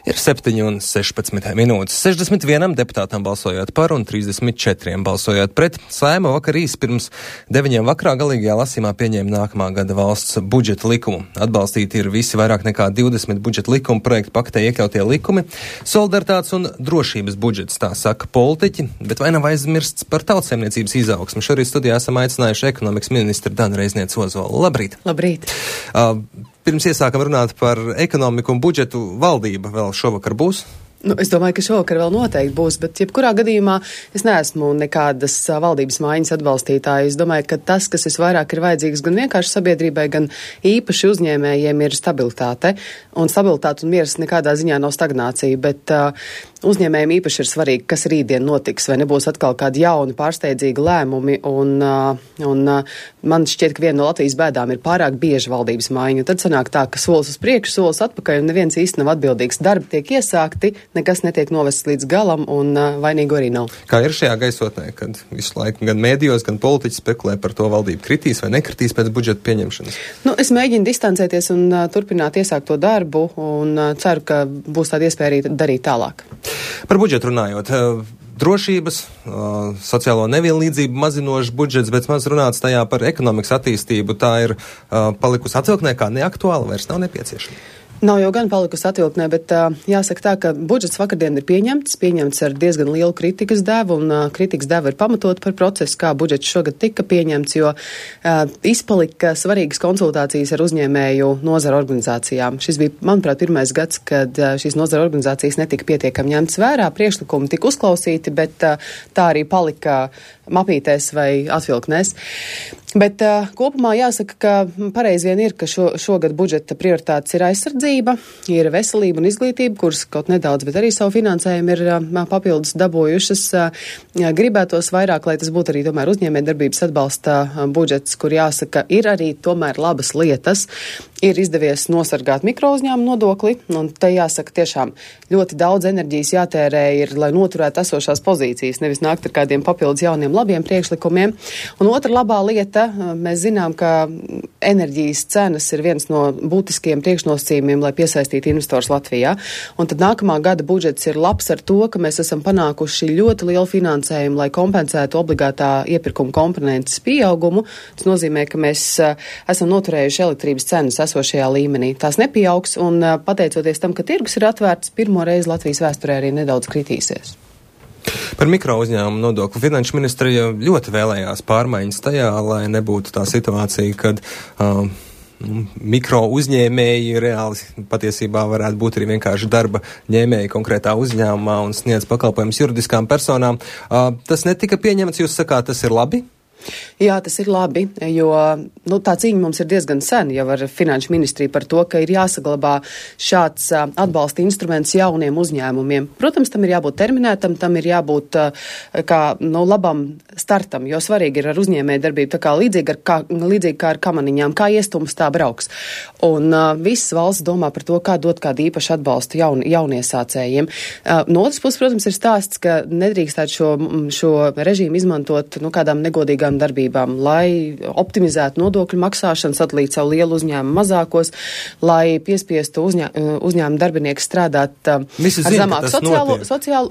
Ir 7:16 minūtes. 61 deputātam balsojot par un 34 balsojot pret. Saeima vakar pirms 9 vakarā galīgajā lasījumā pieņēma nākamā gada valsts budžeta likumu. Atbalstīti ir visi vairāk nekā 20 budžeta likuma projektu paketē iekļautie likumi. Solidaritātes un drošības budžets, tā saka politiķi, bet vai nav aizmirsts par tautsaimniecības izaugsmu? Šorīt studijā esam aicinājuši ekonomikas ministru Danu Reiznieci-Ozolu. Labrīt! Labrīt! Pirms iesākam runāt par ekonomiku un budžetu, valdība vēl šovakar būs? Es domāju, ka šovakar vēl noteikti būs, bet jebkurā gadījumā es neesmu nekādas valdības maiņas atbalstītāja. Es domāju, ka tas, kas visvairāk ir vajadzīgs gan vienkārši sabiedrībai, gan īpaši uzņēmējiem, ir stabilitāte. Un stabilitāte un miers nekādā ziņā nav stagnācija, bet uzņēmējiem īpaši ir svarīgi, kas rītdien notiks, vai nebūs atkal kādi jauni pārsteidzīgi lēmumi. Un man šķiet, ka viena no Latvijas bēdām ir pārāk bieži valdības maiņa. Un tad sanāk tā, ka solis uz priekšu, solis atpakaļ, un neviens īsti nav atbildīgs. Darbi tiek iesākti, nekas netiek novests līdz galam, un vainīgu arī nav. Kā ir šajā gaisotnē, kad visu laiku gan mēdījos, gan politiķi spekulē par to, valdība kritīs vai nekritīs pēc budžeta pieņemšanas? Es mēģinu distancēties un turpināt iesākt to darbu, un ceru, ka būs tāda iespēja arī darīt tālāk. Par budžetu runājot, drošības, sociālo nevienlīdzību mazinošs budžets, bet maz runāts tajā par ekonomikas attīstību, tā ir palikusi atvilknē kā neaktuāla, vairs nav nepieciešama. Nav jau gan palikusi atvilknē, bet jāsaka tā, ka budžets vakardien ir pieņemts ar diezgan lielu kritikas devu, un kritikas deva ir pamatot par procesu, kā budžets šogad tika pieņemts, jo izpalika svarīgas konsultācijas ar uzņēmēju nozara organizācijām. Šis bija, manuprāt, pirmais gads, kad šīs nozara organizācijas netika pietiekami ņemts vērā, priekšlikumi tika uzklausīti, bet tā arī palika mapītēs vai atvilknēs. Bet kopumā jāsaka, ka pareizi vien ir, ka šogad budžeta prioritātes ir aizsardzība, ir veselība un izglītība, kuras kaut nedaudz, bet arī savu finansējumu ir papildus dabūjušas. Gribētos vairāk, lai tas būtu arī tomēr uzņēmējdarbības atbalsta budžets, kur jāsaka, ir arī tomēr labas lietas. Ir izdevies nosargāt mikrouzņēmumu nodokli, un te jāsaka tiešām ļoti daudz enerģijas jātērē ir, lai noturētu esošās pozīcijas, nevis nākt ar kādiem papildus jauniem labiem priekšlikumiem. Un otra labā lieta, mēs zinām, ka enerģijas cenas ir viens no būtiskiem priekšnosacījumiem, lai piesaistītu investors Latvijā. Un tad nākamā gada budžets ir labs ar to, ka mēs esam panākuši ļoti lielu finansējumu, lai kompensētu obligātā iepirkuma komponentes pieaugumu. Tas nozīmē, ka mēs esam noturējuši elektrības cenas esošajā līmenī. Tās nepieaugs, un pateicoties tam, ka tirgus ir atvērts, pirmo reizi Latvijas vēsturē arī nedaudz kritīsies. Par mikro uzņēmumu nodokli finanšu ministrija ļoti vēlējās pārmaiņas tajā, lai nebūtu tā situācija, kad mikro uzņēmēji reāli patiesībā varētu būt arī vienkārši darba ņēmēji konkrētā uzņēmumā un sniedz pakalpojumus juridiskām personām. Tas netika pieņemts, jūs sakāt, tas ir labi? Jā, tas ir labi, jo tā cīņa mums ir diezgan sen jau ar finanšu ministriju par to, ka ir jāsaglabā šāds atbalsta instruments jauniem uzņēmumiem. Protams, tam ir jābūt terminētam, tam ir jābūt labam startam, jo svarīgi ir ar uzņēmēju darbību, tā kā līdzīgi kā ar kamaniņām, kā iestums tā brauks. Un visas valsts domā par to, kā dot kādu īpašu atbalstu jauniesācējiem. No otras puses, protams, ir stāsts, ka nedrīkstētu šo režīmu izmantot kādām negodīgām darbībām, lai optimizētu nodokļu maksāšanu, sadalīt savu lielu uzņēmumu mazākos, lai piespiestu uzņēmumu darbinieku strādāt ar zemāku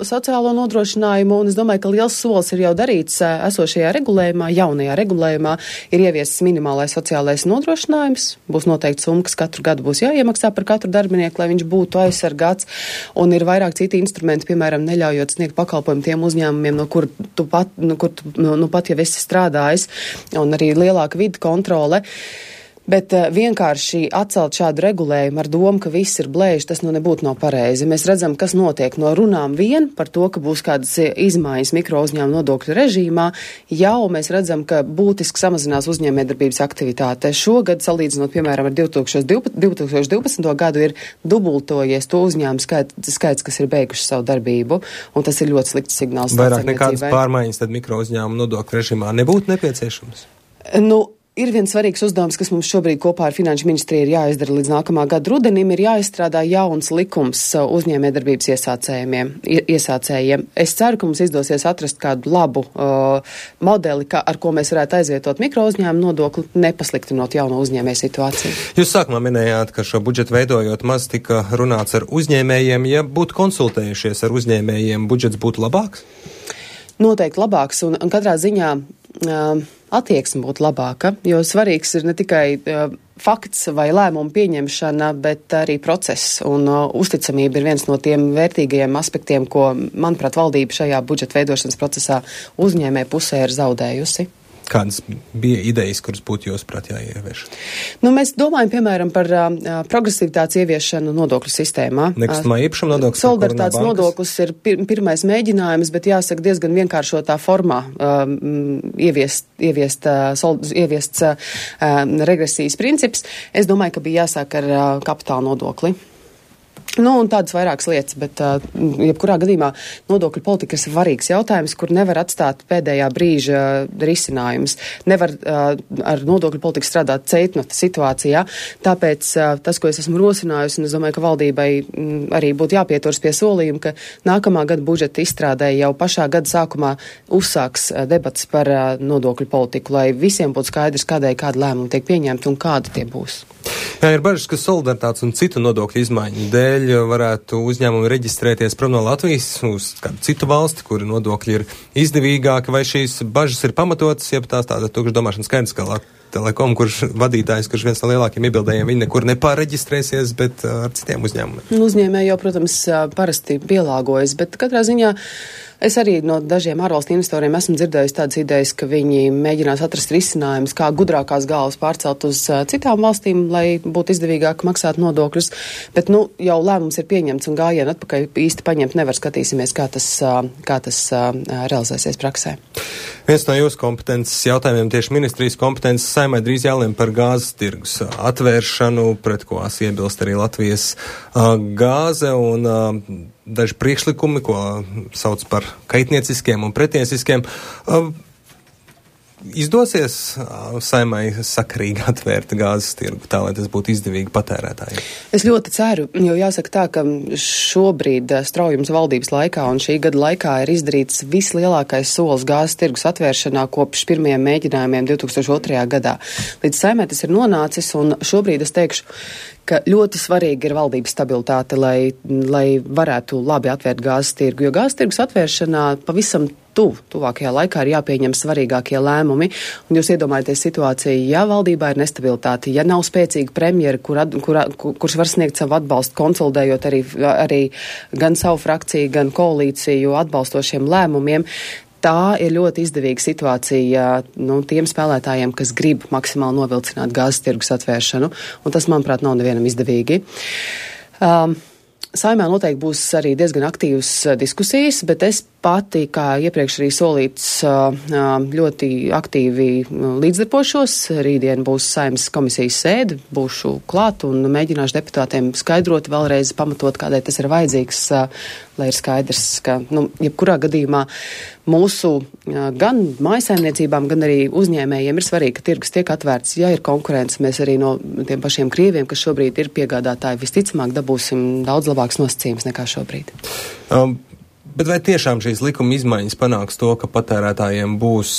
sociālo nodrošinājumu. Un es domāju, ka liels solis ir jau darīts esošajā regulējumā, jaunajā regulējumā ir ieviests minimālais sociālais nodrošinājums. Būs noteikti summa, kas katru gadu būs jāiemaksā par katru darbinieku, lai viņš būtu aizsargāts. Un ir vairāk citi instrumenti, piemēram, neļaujot sniegt pakalpojumu tiem uzņēmumiem, no kur tu pat jau esi strādājis, un arī lielāka vidu kontrole. Bet vienkārši atcelt šādu regulējumu ar domu, ka viss ir blēži, tas nebūtu nav pareizi. Mēs redzam, kas notiek no runām vien par to, ka būs kādas izmaiņas mikro uzņēmumu nodokļu režīmā. Jau mēs redzam, ka būtiski samazinās uzņēmējdarbības aktivitāte. Šogad, salīdzinot, piemēram, ar 2012. gadu, ir dubultojies to uzņēmumu skaits, kas ir beiguši savu darbību, un tas ir ļoti slikts signāls. Vairāk nekādas pārmaiņas tad mikro uzņēmumu nodokļu režīmā nebūtu nepieciešams? Ir viens svarīgs uzdevums, kas mums šobrīd kopā ar Finanšu ministriju ir jāizdara līdz nākamā gada rudenim, ir jāizstrādā jauns likums uzņēmējdarbības iesācējiem. Es ceru, ka mums izdosies atrast kādu labu modeli, ar ko mēs varētu aizvietot mikrouzņēmumu nodokli, nepasliktinot jauno uzņēmēju situāciju. Jūs sākumā minējāt, ka šo budžetu veidojot maz tika runāts ar uzņēmējiem. Ja būtu konsultējušies ar uzņēmējiem, budžets būtu labāks? Noteikti labāks, un katrā ziņā attieksme būtu labāka, jo svarīgs ir ne tikai fakts vai lēmumu pieņemšana, bet arī process, un uzticamība ir viens no tiem vērtīgajiem aspektiem, ko, manuprāt, valdība šajā budžeta veidošanas procesā uzņēmē pusē ir zaudējusi. Kādas bija idejas, kuras būtu jūsuprāt jāievieš? Mēs domājam, piemēram, par progresivitātes ieviešanu nodokļu sistēmā. Nekustamā īpašuma nodoklis. Solidaritātes nodoklis ir pirmais mēģinājums, bet jāsaka diezgan vienkāršotā formā ieviests regresijas princips. Es domāju, ka bija jāsāk ar kapitāla nodokli. Un tādas vairākas lietas, bet jebkurā gadījumā nodokļu politika ir svarīgs jautājums, kur nevar atstāt pēdējā brīža risinājums. Nevar ar nodokļu politiku strādāt ceitnota situācijā. Tāpēc tas, ko es esmu rosinājusi, un es domāju, ka valdībai arī būtu jāpieturas pie solījuma, ka nākamā gada budžeta izstrādē jau pašā gada sākumā uzsāks debats par nodokļu politiku, lai visiem būtu skaidrs, kādai kāda lēmuma tiek pieņemta un kāda tie būs. Jā, ir bažas, ka solidaritātes un citu nodokļu izmaiņu dēļ varētu uzņēmumi reģistrēties prom no Latvijas uz kādu citu valsti, kuri nodokļi ir izdevīgāki, vai šīs bažas ir pamatotas, ja tās tāda tukša domāšana skaidrs, ka Telekom, kurš vadītājs, kurš viens no lielākiem iebildējiem, viņi nekur nepāreģistrēsies, bet ar citiem uzņēmumiem. Uzņēmēji jau, protams, parasti pielāgojas, bet katrā ziņā es arī no dažiem ārvalstu investoriem esmu dzirdējusi tādas idejas, ka viņi mēģinās atrast risinājumus, kā gudrākās galvas pārcelt uz citām valstīm, lai būtu izdevīgāk maksāt nodokļus, bet, jau lēmums ir pieņemts un gājienu atpakaļ īsti paņemt nevar, skatīsimies, kā tas realizēsies praksē. Viens no jūsu kompetences jautājumiem tieši ministrijas kompetences Saeimai drīz jālem par gāzes tirgus atvēršanu, pret ko iebilst arī Latvijas gāze un daži priekšlikumi, ko sauc par kaitnieciskiem un pretiesiskiem. Izdosies Saeimai sakarīgi atvērt gāzes tirgu, tā, lai tas būtu izdevīgi patērētājiem? Es ļoti ceru, jo jāsaka tā, ka šobrīd straujums valdības laikā un šī gada laikā ir izdarīts vislielākais solis gāzes tirgus atvēršanā kopš pirmajiem mēģinājumiem 2002. gadā. Līdz Saeimai tas ir nonācis, un šobrīd es teikšu, ka ļoti svarīgi ir valdības stabilitāte, lai varētu labi atvērt gāzes tirgu, jo gāzes tirgus atvēršanā pavisam tuvākajā laikā ir jāpieņem svarīgākie lēmumi, un jūs iedomājaties situāciju, ja valdībā ir nestabilitāte, ja nav spēcīga premjera, kurš var sniegt savu atbalstu, konsolidējot arī gan savu frakciju, gan koalīciju atbalstošiem lēmumiem. Tā ir ļoti izdevīga situācija tiem spēlētājiem, kas grib maksimāli novilcināt gāzes tirgus atvēršanu, un tas, manuprāt, nav nevienam izdevīgi. Saeimā noteikti būs arī diezgan aktīvas diskusijas, bet es pati, kā iepriekš arī solīts, ļoti aktīvi līdzdarbošos. Rītdien būs Saeimas komisijas sēde, būšu klāt un mēģināšu deputātiem skaidrot vēlreiz, pamatot, kādēļ tas ir vajadzīgs, lai ir skaidrs, ka, jebkurā gadījumā mūsu gan mājasaimniecībām, gan arī uzņēmējiem ir svarīgi, ka tirgus tiek atvērts. Ja ir konkurence, mēs arī no tiem pašiem krieviem, kas šobrīd ir piegādātāji, visticamāk dabūsim daudz labāks nosacījums nekā šobrīd. Bet vai tiešām šīs likuma izmaiņas panāks to, ka patērētājiem būs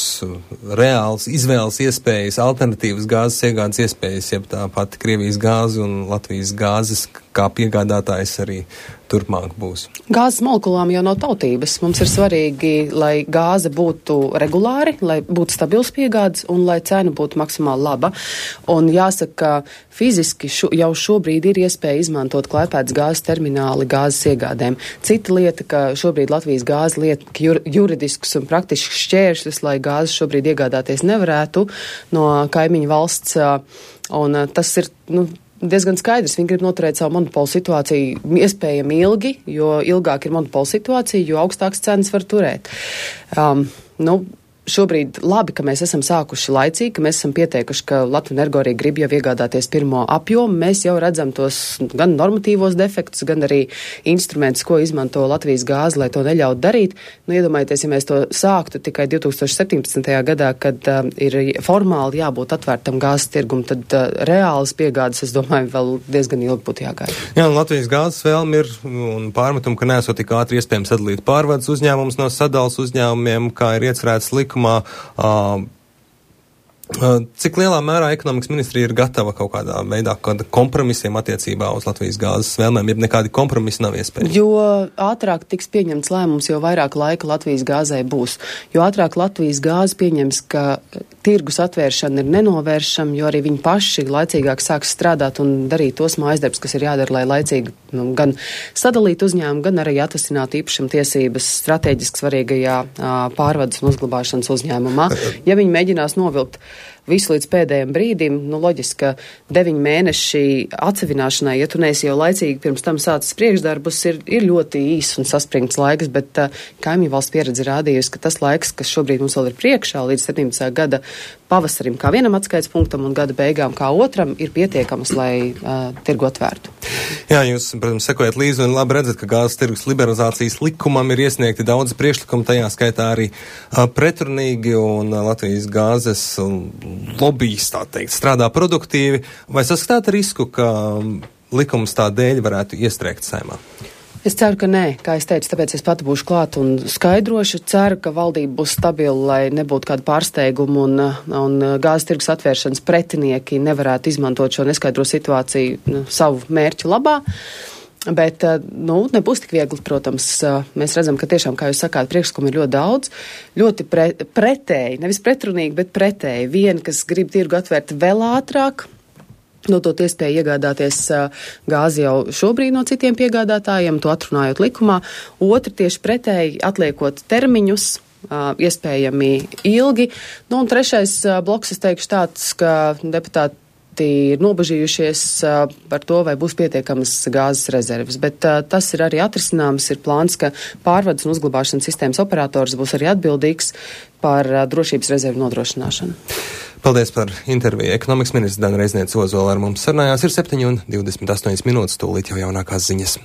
reāls izvēles iespējas, alternatīvas gāzes iegādes iespējas, jeb tā pati Krievijas gāze un Latvijas gāzes kā piegādātājs arī turpmāk būs? Gāzes molekulām jau nav tautības. Mums ir svarīgi, lai gāze būtu regulāri, lai būtu stabils piegādes un lai cena būtu maksimāli laba. Un jāsaka, ka fiziski jau šobrīd ir iespēja izmantot Klaipēdas gāzes termināli gāzes iegādēm. Cita lieta, ka šobrīd Latvijas gāze liek juridiskus un praktiskus šķēršļus, lai gāzes šobrīd iegādāties nevarētu no kaimiņu valsts. Un tas ir, diezgan skaidrs. Viņi grib noturēt savu monopolu situāciju iespējami ilgi, jo ilgāk ir monopola situācija, jo augstākas cenas var turēt. šobrīd labi, ka mēs esam sākuši laicīgi, ka mēs esam pieteikuši, ka Latvenergo arī grib jau iegādāties pirmo apjomu. Mēs jau redzam tos gan normatīvos defektus, gan arī instrumentus, ko izmanto Latvijas gāze, lai to neļautu darīt. Nu, iedomājieties, ja mēs to sāktu tikai 2017. gadā, kad ir formāli jābūt atvērtam gāzes tirgum, tad reālas piegādes, es domāju, vēl diezgan ilgi būtu jāgaida. Jā, un Latvijas gāzes vēlme ir un pārmetum, ka nesot tik ātri iespējams sadalīt pārvades uzņēmumus no sadalas uzņēmumiem, kā ir iecerēts likumā. Cik lielā mērā ekonomikas ministrija ir gatava kaut kādā veidā kompromisiem attiecībā uz Latvijas gāzes vēlmēm, ja nekādi kompromisi nav iespējami? Jo ātrāk tiks pieņemts lēmums, jo vairāk laika Latvijas gāzē būs. Jo ātrāk Latvijas gāze pieņems, ka tirgus atvēršana ir nenovēršama, jo arī viņi paši laicīgāk sāks strādāt un darīt tos mājasdarbus, kas ir jādara, lai laicīgi gan sadalīt uzņēmumu, gan arī atvasinātu īpašuma tiesības strateģiski svarīgajā pārvades un uzglabāšanas uzņēmumā. Ja viņi mēģinās novilkt visu līdz pēdējiem brīdim, loģiski, ka 9 mēneši atsevināšanai, ja tu neesi jau laicīgi pirms tam sācis priekšdarbus, ir ļoti īss un saspringts laiks, bet kaimiņu valsts pieredze rādījusi, ka tas laiks, kas šobrīd mums vēl ir priekšā līdz 17. gada pavasarim kā vienam atskaits punktam un gada beigām kā otram, ir pietiekams, lai tirgu atvērtu. Jā, jūs, protams, sekojat līdzi un labi redzat, ka gāzes tirgus liberalizācijas likumam ir iesniegti daudz priekšlikumu, tajā skaitā arī pretrunīgi, un Latvijas gāzes lobbyis, tā teikt, strādā produktīvi. Vai saskatāt risku, ka likums tā dēļ varētu iestrēgt Saeimā? Es ceru, ka nē, kā es teicu, tāpēc es pati būšu klāt un skaidrošu. Ceru, ka valdība būs stabila, lai nebūtu kāda pārsteiguma un gāzes tirgus atvēršanas pretinieki nevarētu izmantot šo neskaidro situāciju savu mērķu labā. Bet, nebūs tik viegli, protams. Mēs redzam, ka tiešām, kā jūs sakāt, priekšlikumi ir ļoti daudz, ļoti pretēji, nevis pretrunīgi, bet pretēji. Viena, kas grib tirgu atvērt vēl ātrāk, dot iespēju iegādāties gāzi jau šobrīd no citiem piegādātājiem, to atrunājot likumā. Otra tieši pretēji, atliekot termiņus, iespējami ilgi. Un trešais bloks, es teikšu tāds, ka deputāti ir nobažījušies par to, vai būs pietiekamas gāzes rezerves. Bet tas ir arī atrisināms, ir plāns, ka pārvades un uzglabāšanas sistēmas operators būs arī atbildīgs par drošības rezervu nodrošināšanu. Paldies par interviju. Ekonomikas ministrs Dana Reizniece Ozola ar mums sarunājās. Ir 7:28 minūtes, tūlīt jau jaunākās ziņas.